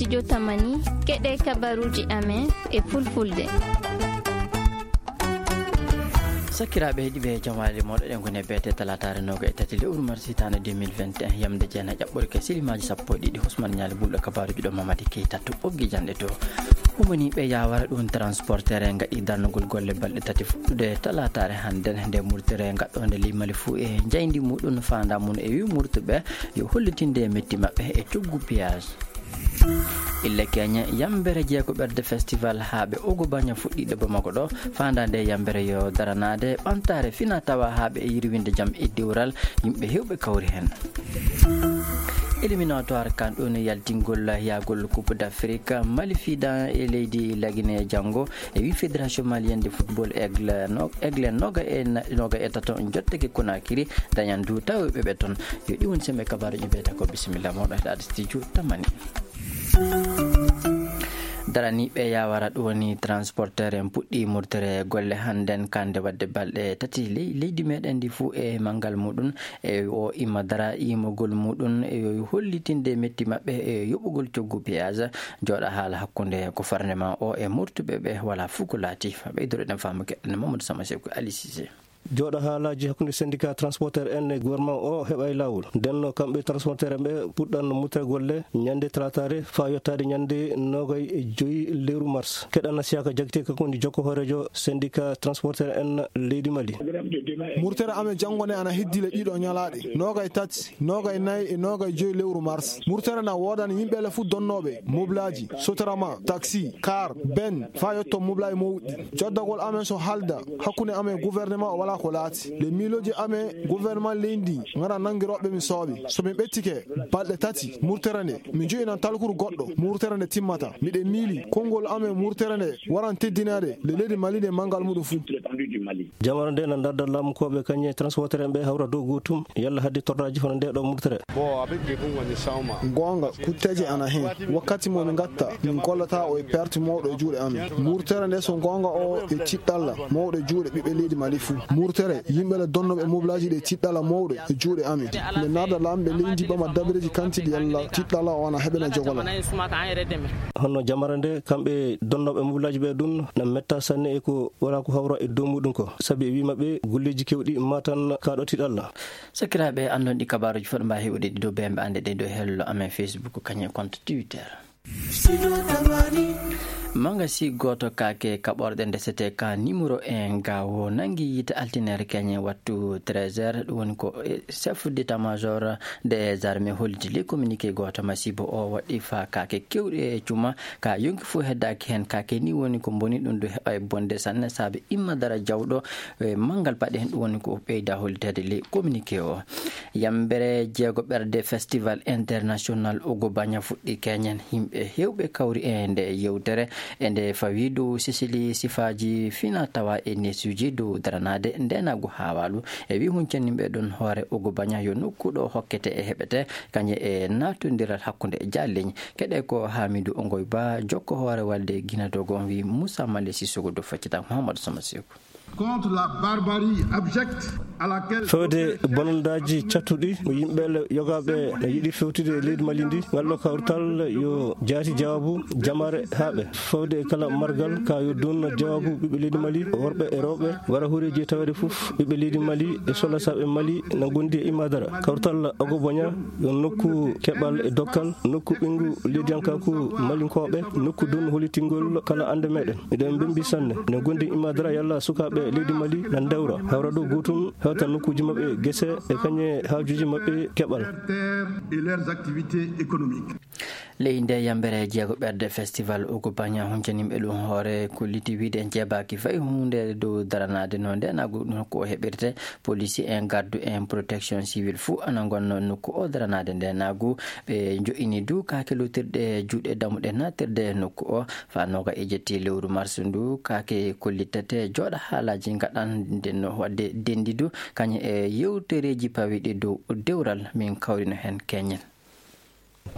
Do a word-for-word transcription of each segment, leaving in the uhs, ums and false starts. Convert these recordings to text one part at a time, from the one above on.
Jotamani, keɗe kabaruuji amen e fulfulde. Sakiraaɓe heɗiiɓe, jamaale moɗo ɗen ko ne beete talaataare nooga e tati lewru mars hitaande deux mille vingt et un, yamde jeenayi ƴaɓɓorke silimaaji sappo e ɗiɗi. Usman Ñaali Bulɗo, kabaaruuji ɗo Mamadi Keita to ɓoggi janɗe to. Humaniiɓe yaawara ɗum transporteur en ngaɗi darnugol golle balɗe tati fuɗɗude talaataare hannden nde murtere ngaɗɗoonde ley Mali fuu e njayndi muɗum faanda mum e wi murtuɓe yo hollitinde metti maɓɓe e coggu piyaaji. Ille keñe yambere jeegoɓerde festival haaɓe Ogo Baña fuɗɗiiɗo Bamako ɗo, faandaande yambere yo daranaade ɓamtaare fina tawa haaɓe e yirwinde jam e dewral yimɓe heewɓe kawri heen. Éliminatoire kan ɗon yaltingol yahgol Coupe d'Afrique, Mali fiida e leydi Lagine janngo, e wi Fédération Malienne de Football Aigle no-, Aigle noga e na-, noga e tato jottake Conakry, dañan du tawoɓe ɓe toon. Yo ɗi woni sembe kabaaruuji mbiyata ko bisimilla mawɗo heɗaade studio Tamani. Daraniiɓe yaawara ɗum woni transporteur en puɗɗi murtere golle hannden kande waɗde balɗe tati ley-, leydi meɗen ndi fuu e manngal muɗum e o imma dara imogol muɗum e yo hollitinde metti maɓɓe e yoɓugol coggu piyaaji. Jooɗa haala hakkunde ko farnde ma o e murtuɓe ɓe wala fuu ko laati. Ɓeydoreɗen faamu keɗen Mamadou Sama Seku Ali Cissé. Jooɗa haalaaji hakkunde syndicat transporteur en e gouvernement o heɓa e laawol. Ndenno kamɓe transporteur en ɓe puɗɗan murtere golle ñande talaataare faa yottaade ñande noogay e joyi lewru mars. Keɗana Siyaka Jagite, kanko woni jokko hooreejo syndicat transporteur en leydi Mali. Murtere amen janngo nde ana heddii le ɗiɗo ñalaaɗe, noogay tati, noogay nayi e noogay joyi lewru mars. Murtere na woodani yimɓe le fuu donnooɓe mobilaaji, Sotrama, taxi, car, ben, faa yotto mobilaaji mawɗi. Joddagol amen so halda hakkunde amen gouvernement o walaa ko laati. Le miilooji amen gouvernement leydi ndi ngara nanngiroɓe min sooɓe. So min ɓettike balɗe tati murtere nde, min jo'inan talkuru goɗɗo murtere nde timmata. Miɗen miili konngol amen murtere nde waran teddinaade le leydi Mali nde manngal muɗum fuu. Jamara nde na darda laamukooɓe kañe transporteur en ɓe hawra dow gootum, yalla hadde tordaaji hono nde ɗo murtere. Goonga, kutteeje ana heen. Wakkati mo min ngatta, min gollata o e perte mawɗo e juuɗe amen. Murtere nde so goonga o e tiɗɗalla mawɗo e juuɗe ɓiɓɓe leydi Mali fuu. Murtere, yimɓe le donnooɓe mobilaaji ɗe tiɗɗalla mawɗo e juuɗe amen. Nde naada laamɓe leydi ɓama dabareeji kantiɗi yalla tiɗɗalla o ana heɓena jogola. Honno jamara nde, kamɓe donnooɓe mobilaaji ɓe ɗum na metta sanne e ko wala ko hawra e dow muɗum ko. Sabi e wi maɓɓe golleeji kewɗi matan kaɗo tiɗɗalla. Sakiraaɓe, anndon ɗi kabaaruuji fof ɗo mbaawi heɓude ɗi dow B M B Annde ɗe dow hello amen Facebook, kañum e compte Twitter. Mangasi gooto kaake kaɓorɗe ndesete ka numéro un gawo nangi yiite altinere keñe wattu treize heures. Ɗum woni ko, eh, chef d'état-major des armées holliti le communiqué gooto masibo o waɗi fa kaake kewɗe e cuma ka yonki fof heddaaki heen. Kaake ni woni ko mboni ɗum ɗo heɓa e bonde sanne saabe imma dara jawɗo e manngal paɗe heen, ɗum woni ko ɓeyda holliteede le communiqué o. Yambere jeego ɓerde Festival International Ogo Baña fuɗɗi keñen. Yimɓe heewɓe kawri e nde yewtere, e nde fawi dow sisili sifaaji fina tawa e nesuuji dow daranaade ndenaagu haawaalu. E wi huncanimɓe ɗon hoore Ogo Baña yo nokku ɗo hokkete e heɓete, kañe e naatondiral hakkunde e jaalleñi. Keɗe ko Hamidou Ongoy Ba, jokko hoore walde Gina Dogo, wi Moussa Male Sissoko dow feccita Mouhamadou Sama Seku. Contre la barbarie abjecte à laquelle... Fewde bonondaaji cattuɗi mo yimɓe le yogaaɓe no yiɗi fewtude e leydi Mali ndi, ngal ɗo kawtal yo jaati jawaabu jamaare haaɓe. Fewde e kala margal ka yo duun jawaabu ɓiɓɓe leydi Mali, worɓe e rewɓe, wara horeeji e taweede fof ɓiɓɓe leydi Mali e solasaaɓe Mali na ngondi e imma dara. Kawtal Ogo Boña yo nokku keɓal e dokkal, nokku ɓinngu leydiyankaaku malinkooɓe, nokku donnu hollitingol kala annde meɗen. Miɗen mbembi sanne. Ne gondi imma dara yalla sukaaɓe leydi Mali na ndewra, hawra dow gootum, hewta nokkuuji maɓɓe, gese e kañe haajuuji maɓɓe keɓal. Terre et leurs activités économiques. Ley nde yambere jeego ɓerde festival Ogo Baña huncanimɓe ɗum hoore kolliti wiide en jeebaaki fay huunde dow daranaade no nde naagu nokku o heɓirte. Police en, gardu en, protection civile fuu ana ngonnoo nokku o daranaade nde naagu. Ɓe njo'ini du kaake lootirɗe juuɗe damuɗe naatirde nokku o. Faa nooga e jetti lewru mars ndu, kaake kollitete jooɗa haalaaji ngaɗan ndenno waɗde denndi du, kañum e yewtereeji pawiɗi dow dewral min kawrino heen keñen.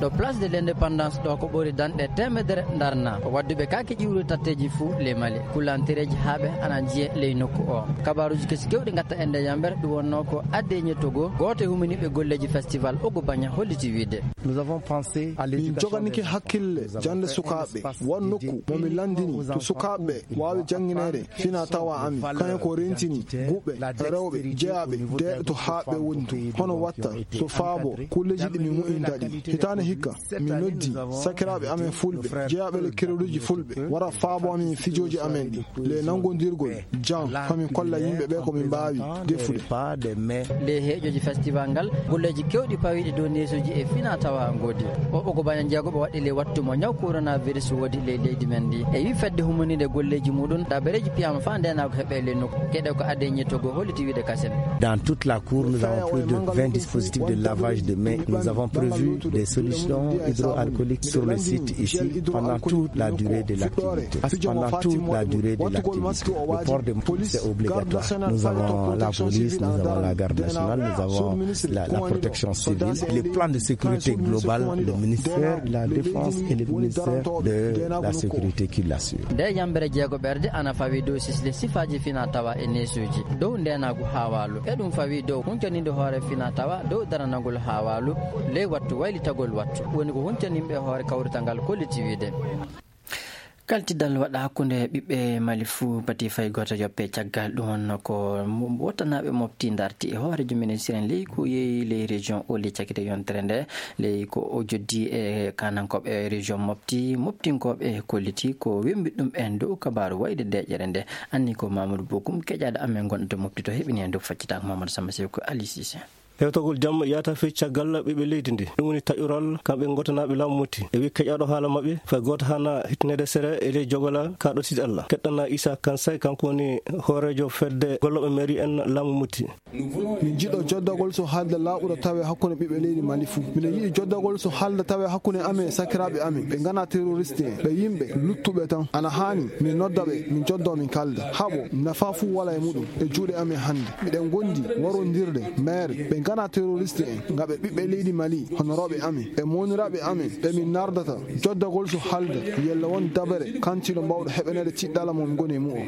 Ɗo Place de l'Indépendance ɗo ko ɓuri danɗe teemedere ndarna. Ko wadduɓe kaake ƴiwrude tatteeji fuu ley Mali. Kulantereeji haaɓe ana njiye ley nokku o. Kabaaruuji kesi kewɗi ngatta e nde yamber, ɗum wonnoo ko Adeñe Togo, gooto e huminiiɓe golleeji festival Ogo Baña holliti wiide. Min joganike hakkille jannde sukaaɓe, won nokku mo min lanndini to sukaaɓe waawi janngineede fina tawa amin, kañum ko rentini guɓe rewɓe jeyaaɓe deeɗo to haaɓe woni to, hono watta so faabo kulleeji ɗi min moƴƴinta ɗi. Hitaande hikka, min noddi sakiraaɓe amen fulɓe, jeyaaɓe le kereruuji fulɓe, wara faabo amin fijooji amen ɗi, le nanngondirgol jam, fa min kolla yimɓe ɓe ko min mbaawi defude. Ley heeƴooji festival ngal, golleeji keewɗi pawiiɗi dow neesuuji e fina tawa ngoodi. O Ogo Baña jeegoɓe waɗi ley wattu mo ñaw coronavirus woodi ley leydi men ndi. E wi fedde humoniinde golleeji muɗum, dabareeji piyaama faa ndeenaagu heɓe ley nokku. Keɗe ko Adeñe Togo holliti wiide kasen. Dans toute la cour, nous avons plus de vingt dispositifs de lavage de mains. Nous avons prévu des solutions hydroalcooliques sur le site ici pendant toute la durée de l'activité. Parce que pendant toute la durée de l'activité, le port de masque, c'est obligatoire. Nous avons la police, nous avons la garde nationale, nous avons la, la protection civile. Le plan de sécurité globale, le ministère de la Défense et le ministère de la Sécurité qui l'assure. Nde yambere jeegoɓerde ana fawi dow sisle sifaaji fina tawa e neesuuji, dow ndeenaagu haawaalu. E ɗum fawi dow huncaniinde hoore fina tawa, dow daranagol haawaalu, ley wattu waylitagol wattu. Woni ko huncaniiɓe hoore kawrital ngal kolliti wiide. Kaltidal waɗa hakkunde ɓiɓɓe Mali fuu, pati fay gooto yoppe caggal ɗum wonno ko mo-, wottanaaɓe mofti ndarti e hooreejo ministre en ley ko yeeyi ley région o ley cakite yontere nde. Ley ko o joddi e kanankooɓe région mofti, moftinkooɓe kolliti ko wembi ɗum en dow kabaaru wayde deeƴere nde. Anni ko Mamadou Bokum keƴaaɗo amen gonɗo to mofti to heɓini en dow faccitaako Mamadou Samba Sew ko Ali Cissé. Hewtagol jam yahata fii caggal ɓiɓɓe leydi ndi. Ɗum woni taƴoral kamɓe gotanaaɓe laamu Moti. E wi keƴaaɗo haala maɓɓe, fay gooto hana hittinede sere e ley jogola ka ɗo sidi Allah. Keɗɗana Issa Kansay, kanko woni hooreejo fedde gollooɓe mairie en laamu Moti. Min jiɗo joddagol so haalda laaɓuɗo tawe hakkunde ɓiɓɓe leydi Mali fuu. Miɗo yiɗi joddagol so haalda tawe hakkunde amen e sakiraaɓe amen. Ɓe ngana terroriste en. Ɓe yimɓe luttuɓe tan. Ana haani min nodda ɓe, min joddo min kalda. Haɓo, nafa fuu wala e muɗum. E juuɗe amen hannde. Miɗen ngondi warondirde mayre. Ɓe ngana terroriste en, nga ɓe ɓiɓɓe leydi Mali, hono rewɓe amen, e mooniraaɓe amen, ɓe min nardata joddagol so haalda, yalla won dabere kantiiɗo mbawɗo heɓaneede tiɗɗala mo min ngoni e mu'o.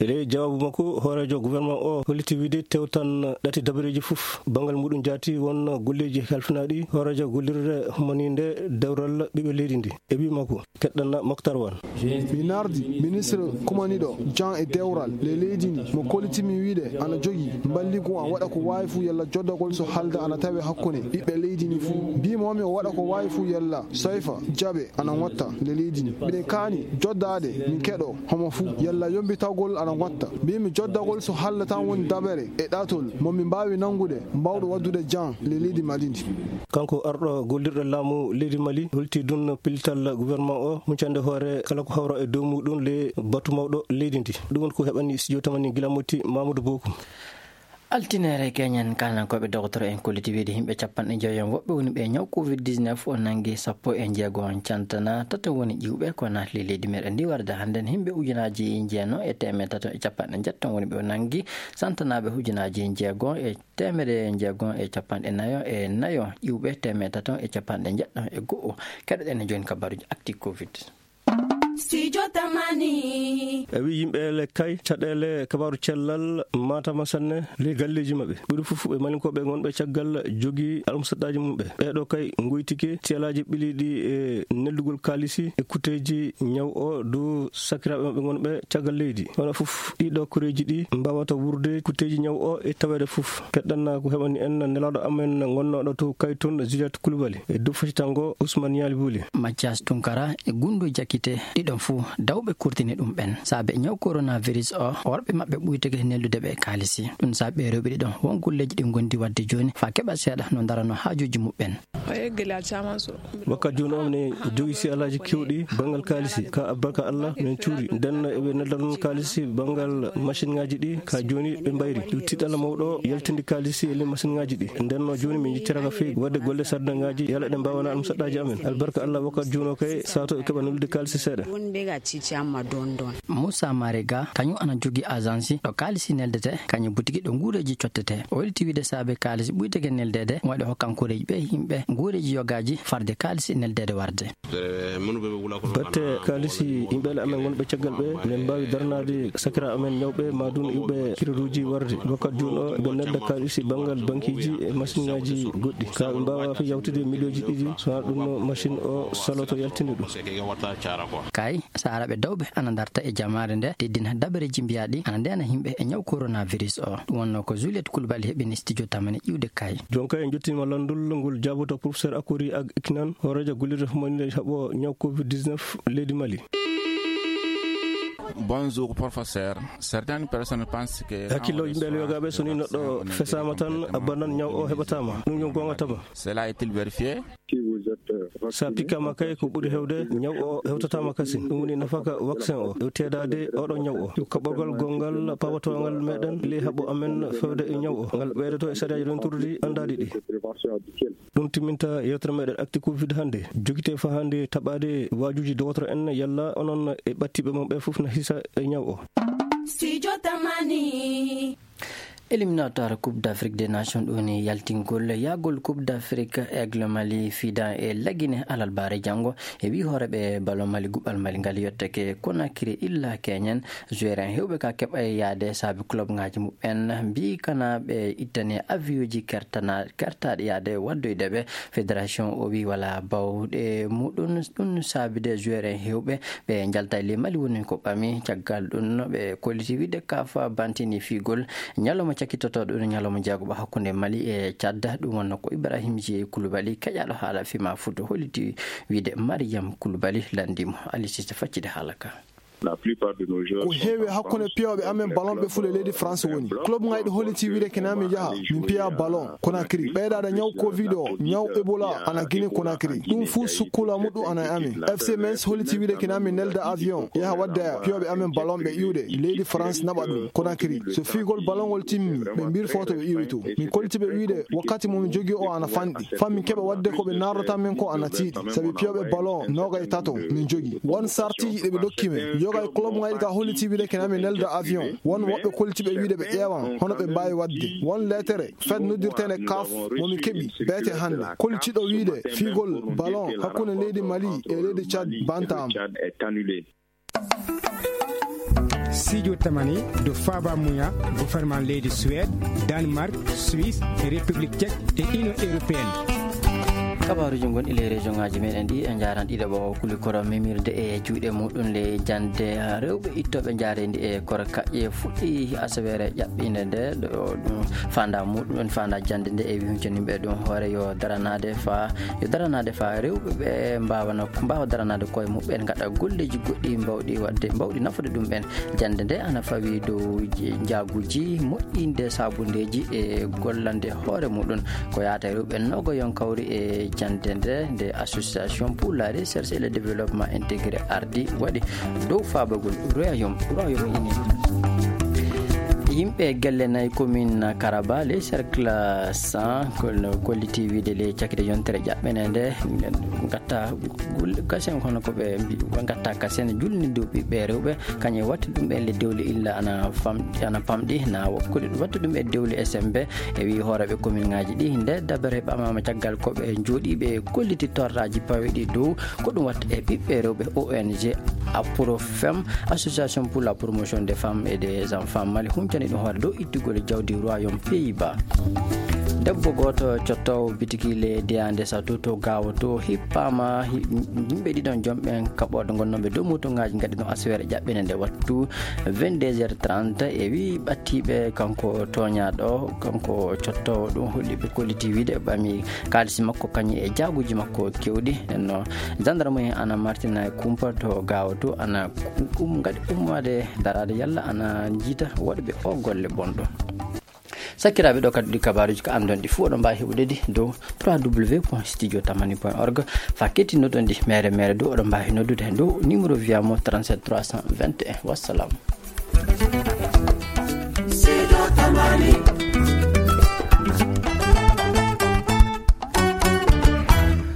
E ley jawaabu makko, hooreejo gouvernement o holliti wiide tewtan ɗati dabareeji fof. Banngal muɗum jaati won golleeji halfinaaɗi hooreejo gollirde humaniinde dewral ɓiɓɓe leydi ndi. E wi makko, Keɗɗanna Moktar Wan. Mi nardi ministre kumaniɗo Jean e dewral le leydi ndi, mo kollitimi wiide ana jogi mballigu an waɗa ko waawi fuu yalla joddagol so halda ana tawe hakkunde ɓiɓɓe leydi ndi fuu. Mbimo mi o waɗa ko waawi fuu yalla soyfa jaɓe ana ngotta le leydi ndi. Miɗen kaani joddaade min keɗo homo fuu yalla yombitagol ana ngotta. Mbimi joddagol so halda tan woni dabere e ɗatol mo min mbaawi nanngude mbawɗo waddude Jean le leydi Mali ndi. Kanko arɗo gollirɗo laamu leydi Mali holti ɗum pellital gouvernement o huncande hoore kala ko hawra e dow muɗum le batu mawɗo leydi ndi. Ɗum woni ko heɓani studio tamani gila motti Mamadou Bokum. Altinere keñen kanankooɓe dogotoro en kolliti wiide yimɓe capanɗe joyo en woɓɓe woni ɓe ñaw covid dix-neuf o nangi sappo e jeego on cantana tato woni ƴiwɓe ko naatli leydi meɗen ndi warde hannden yimɓe ujunaaji jeeno e teemeɗe tato e capanɗe njetto woni ɓe o nangi santanaaɓe ujunaaji jeego e teemedde jeego e capanɗe nayo e nayo, ƴiwɓe teemedde tato e capanɗe njeɗɗo e go'o. Keɗoɗen e jooni kabaaruuji actu covid. Studio Tamani. E wi yimɓe le kay caɗeele kabaaru cellal matama sanne le galleeji maɓɓe. Ɓuri fof ɓe malinkooɓe ngonɓe caggal jogi almusaɗɗaaji mumɓe. Ɓeeɗo kay ngoytike tiyalaaji ɓiliiɗi e neldugol kaalisi e kutteeji ñaw o dow sakiraaɓe maɓɓe ngonɓe caggal leydi. Hono fof ɗiɗo koreeji ɗi mbaawata wuurde kutteeji ñaw o e taweede fof. Keɗɗanna ko heɓani en nelaaɗo amen ngonnooɗo to Kayton, Juliette Koulibaly, e dow fasitango Ousmane Nialy Bouli. Mathias Tunkara e Gundo Jakite, ɗiɗon fof dawɓe kurtini ɗum ɓen. Saabe ñaw coronavirus o, worɓe maɓɓe ɓuytake neldude ɓe kaalisi. Ɗum saabe rewɓe ɗiɗon won golleeji ɗi ngondi waɗde jooni faa keɓa seeɗa no ndarano haajuuji muɓɓen. Wakkat jooni o, mine jogi si alaaji kewɗi banngal kaalisi. Ka albarka Allah, min cuuri. Nden eɓe nelda noon kaalisi banngal machine ŋaaji ɗi. Ka jooni ɓe mbayri. Ɗum tiɗɗalla mawɗo yaltinde kaalisi e le machine ŋaaji ɗi. Nden no jooni min jiccaraka feewi. Waɗde golle sarde ŋaaji, yala ɗe mbaawana almusaɗɗaaji amen. Albarka Allah, wakkat jooni o kay, sato e keɓa neldude kaalisi seeɗa. Moussa Marega, kañum ana jogii agence ɗo kaalisi neldete, kañum butiki ɗo nguureeji cottete. O welti wiide saabe kaalisi ɓuyteke neldeede, waɗi hokkankoreeji ɓe yimɓe nguureeji yogaaji farde kaalisi neldeede warde. Batte kaalisi yimɓeele amen wonɓe caggal ɓe, men mbaawi darnaade sakiraaɓe amen ñawɓe, maa ɗum iwɓe kiruuji warde. Wakkati jooni o, ɓe nelda kaalisi banngal bankiiji e masiŋaaji goɗɗi. Ka ɓe mbaawa yawtude miliyooji ɗiɗi, so wanaa ɗum no masiŋ o saloto yaltinde ɗum. Kay, saaraaɓe dawɓe ana darta e jamaare nde, teddina dabareeji mbiyaaɗi ana ndeena yimɓe e ñaw coronavirus o. Ɗum wonnoo ko Juliette Coulibaly heɓini studio Tamani iwde kay. Jooni kay en njottiima lanndol ngol jaaboto professeur Akori Ag Iknan, hooreejo gollirde fumaninde haɓo ñaw covid dix-neuf leydi Mali. Bonjour, professeur. Certaines personnes pensent que... Hakkillo yimɓe yogaaɓe, so ni neɗɗo fesaama tan, a bannan ñaw o heɓataama. Ɗum yo goonga tama. Cela est-il vérifié? Sa pikkama kay, ko ɓuri hewde, ñaw o hewtataama kasin. Ɗum woni nafaka vaccin o. Yo teedaade oɗo ñaw o. Yo kaɓɓorgal gonngal pawatongal meɗen ley haɓo amen fewde e ñaw o. Ngal ɓeydoto e sariyaaji rentordi anndaaɗi ɗi. Ɗum timminta yewtere meɗen Actu Covid hannde. Jogite fa hannde taɓaade waajuuji dowotoro en yalla onon e ɓattiiɓe mon ɓe fof na hisa e ñaw o. Studio Tamani. Éliminatoire Coupe d'Afrique des Nations ɗo ni yaltingol yahgol Coupe d'Afrique, Aigle Mali fiida e Lagine alarbaare janngo. E wi hooreeɓe ballon Mali, guɓɓal Mali ngal yottake Conakry illa keñen. Joueur en heewɓe ka keɓay yaade saabe club ngaji muɓɓen mbi kana ɓe ittane avion ji kertana-, kertaɗe yaade waddoyde ɓe. Fédération o wi wala bawɗe muɗum ɗum saabide joueur en heewɓe ɓe njalta e ley Mali woni ko ɓami. Caggal ɗum ɓe kolliti wiide kafa bantini fiigol ñalawma cakkitotoɗo ɗum ñalawma jeegoɓo hakkunde Mali e Tchad. Ɗum wonno ko Ibrahim J Koulibaly, keƴaɗo haala fima foot, holliti wiide Mariam Koulibaly landimo. Ali Cissé faccide haala ka. Ko heewi hakkunde piyooɓe amen ballon ɓe fule leydi France woni. Club ngayɗo holliti wiide kene amin yaha, min piya ballon Conakry. Ɓeydaade ñaw covid o, ñaw Ebola ana Guinée Conakry. Ɗum fuu sukkula muɗɗum ana e amin. F C Metz holliti wiide kene amin nelda avion, yaha wadde piyooɓe amen ballon ɓe iwde leydi France naɓa ɗum Conakry. So fiigol ballon ngol timmi, ɓe mbirfoto ɓe iwito. Min kolliti ɓe wiide wakkati mo min jogii o ana fanɗi. Fa min keɓa wadde ko ɓe nardata min ko ana tiiɗi. Sabi piyooɓe ballon noogay tato min jogii. Won sartiiji ɗe ɓe dokki men. Yoga e club ngayɗi ka holliti wiide kene amin nelda avion. Won woɓɓe kolliti ɓe wiide ɓe ƴeewan hono ɓe mbaawi wadde. Won leetere fed noddirteende kaf mo min keɓi beete hannde. Kollitiɗo wiide fiigol ballon hakkunde leydi Mali e leydi Tchad bantaama. Studio Tamani do faaba muya gouvernement leydi Suède, Danemark, Suisse, République Tchèque et Union Européenne. Kabaaruuji ngonɗi ley région ngaaji meɗen ɗi, en njaaran ɗiɗo ɓo kuli koro memirde e juuɗe muɗum ley jande rewɓe ittooɓe njaareendi e koro kaƴƴe fuɗɗi asaweere ƴaɓɓinde nde ɗo ɗum fanda muɗum en fanda jande nde e wi huncaniɓe ɗum hoore yo daranaade fa yo daranaade fa rewɓe ɓe mbaawana, mbaawa daranaade koye muɓɓen, ngaɗa golleeji goɗɗi mbawɗi waɗde, mbawɗi nafude ɗum ɓen. Jannde nde ana fawi dow j-, njaaguuji moƴƴinde saabundeeji e gollande hoore muɗum. Ko yaata e rewɓe nogoyon kawri e jannde nde, nde Association pour la Recherche et le Développement Intégré ardi waɗi dow faabagol Royaume, Royaume Uni. Yimɓe gelle nayi commune Karaba, ley cercle cent, kol-, kolliti wiide ley cakite yontere ƴaɓɓene nde, ngatta gul-, kasen kono ko ɓe mbi-, ɓe ngatta kasen julni dow ɓiɓɓe rewɓe, kañum e watti ɗum ɓen le dewle illa ana fam-, ana pamɗi, na wa-, kuli-, watti ɗum e dewle S M B, e wi hooreɓe commune ngaji ɗi, nde dabere ɓamama caggal ko ɓe jooɗiɓe kolliti torraji paweɗi dow ko ɗum watta e ɓiɓɓe rewɓe O N G Aprofem, Association pour la Promotion des Femmes et des Enfants Mali, huncani ɗum hoore dow ittugol jawdi Royaume Pays-Bas. Debbo gooto cottowo bitiki le Deyande Satu to Gaawo to hippama, hi-, yimɓe ɗiɗon jomɓen kaɓorde gonnooɓe dow moto ngaji ngaɗi ɗum asaweere ƴaɓɓene nde wattu vingt-deux heures trente, e wi ɓattiɓe kanko tooñaaɗo, kanko cottowo ɗum holli ɓe kolliti wiide ɓami kaalisi makko kañum e jaaguji makko kewɗi. Nenno gendarme en ana martina e kumpa to Gaawo to ana um-, ngaɗi ummaade daraade yalla ana jiita woɗɓe o golle bonɗo. Sakkiraaɓe, ɗo kadi ɗi kabaaruuji ko anndon ɗi fof oɗon mbaawi heɓude ɗi dow trois W point studio tamani point org. Fa kettinnoɗon ɗi mere mere dow oɗon mbaawi noddude dow numéro via mo trente-sept trois cent vingt et un. Wassalam. Studio Tamani.